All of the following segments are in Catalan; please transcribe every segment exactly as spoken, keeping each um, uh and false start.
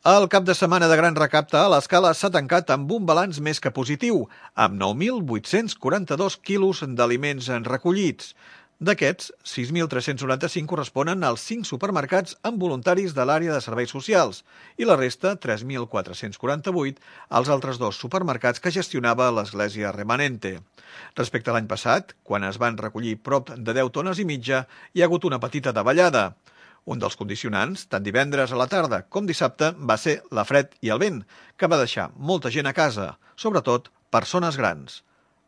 El cap de setmana de gran recapte a l'Escala s'ha tancat amb un balanç més que positiu, amb nou mil vuit-cents quaranta-dos quilos d'aliments recollits. D'aquests, sis mil tres-cents noranta-cinc corresponen als cinc supermercats amb voluntaris de l'àrea de serveis socials i la resta, tres mil quatre-cents quaranta-vuit, als altres dos supermercats que gestionava l'Església Remanente. Respecte a l'any passat, quan es van recollir prop de deu tones i mitja, hi ha hagut una petita davallada. Un dels condicionants, tant divendres a la tarda com dissabte, va ser la fred i el vent, que va deixar molta gent a casa, sobretot persones grans.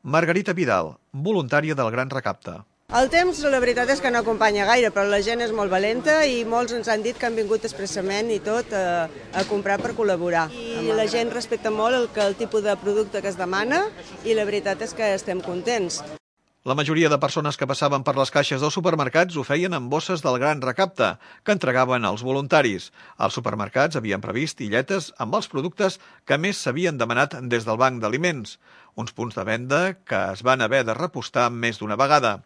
Margarita Vidal, voluntària del Gran Recapte. El temps, la veritat és que no acompanya gaire, però la gent és molt valenta i molts ens han dit que han vingut expressament i tot a, a comprar per col·laborar. I la gent respecta molt el, el tipus de producte que es demana i la veritat és que estem contents. La majoria de persones que passaven per les caixes dels supermercats ho feien amb bosses del Gran Recapte, que entregaven als voluntaris. Els supermercats havien previst illetes amb els productes que més s'havien demanat des del banc d'aliments, uns punts de venda que es van haver de repostar més d'una vegada.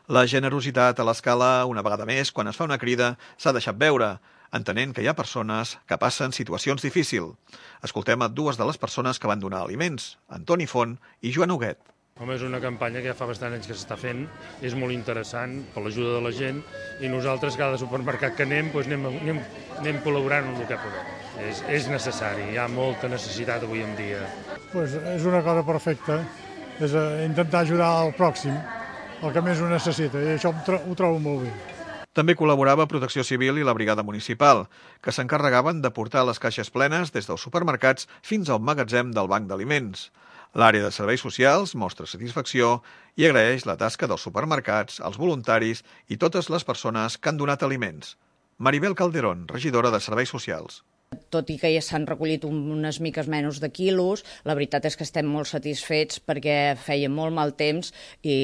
La generositat a l'Escala, una vegada més, quan es fa una crida, s'ha deixat veure, entenent que hi ha persones que passen situacions difícils. Escoltem a dues de les persones que van donar aliments, Antoni Font i Joan Huguet. Home, és una campanya que ja fa bastant anys que s'està fent, és molt interessant per l'ajuda de la gent i nosaltres cada supermercat que anem, doncs anem, anem, anem col·laborant amb el que podem. És, és necessari, hi ha molta necessitat avui en dia. Pues és una cosa perfecta, és intentar ajudar al pròxim, el que més ho necessita, i això ho trobo molt bé. També col·laborava Protecció Civil i la Brigada Municipal, que s'encarregaven de portar les caixes plenes des dels supermercats fins al magatzem del Banc d'Aliments. L'àrea de serveis socials mostra satisfacció i agraeix la tasca dels supermercats, els voluntaris i totes les persones que han donat aliments. Maribel Calderón, regidora de Serveis Socials. Tot i que ja s'han recollit unes miques menys de quilos, la veritat és que estem molt satisfets perquè feia molt mal temps i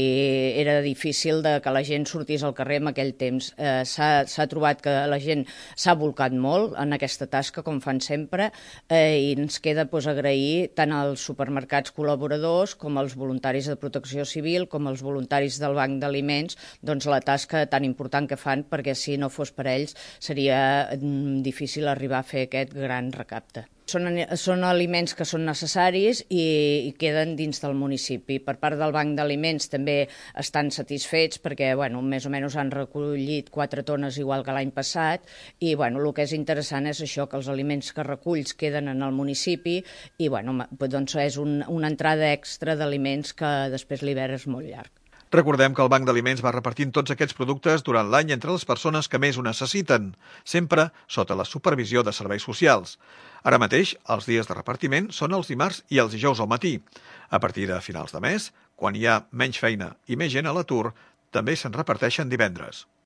era difícil de que la gent sortís al carrer en aquell temps. Eh, s'ha trobat que la gent s'ha volcat molt en aquesta tasca, com fan sempre, eh, i ens queda pues, agrair tant als supermercats col·laboradors com als voluntaris de Protecció Civil com als voluntaris del Banc d'Aliments doncs, la tasca tan important que fan, perquè si no fos per ells seria mm, difícil arribar a fer aquest gran recapte. Són, són aliments que són necessaris i, i queden dins del municipi. Per part del Banc d'Aliments també estan satisfets perquè bueno, més o menys han recollit quatre tones igual que l'any passat i bueno, el que és interessant és això, que els aliments que reculls queden en el municipi i bueno, doncs és un, una entrada extra d'aliments que després l'hivern és molt llarg. Recordem que el Banc d'Aliments va repartint tots aquests productes durant l'any entre les persones que més ho necessiten, sempre sota la supervisió de serveis socials. Ara mateix, els dies de repartiment són els dimarts i els dijous al matí. A partir de finals de mes, quan hi ha menys feina i més gent a l'atur, també se'n reparteixen divendres.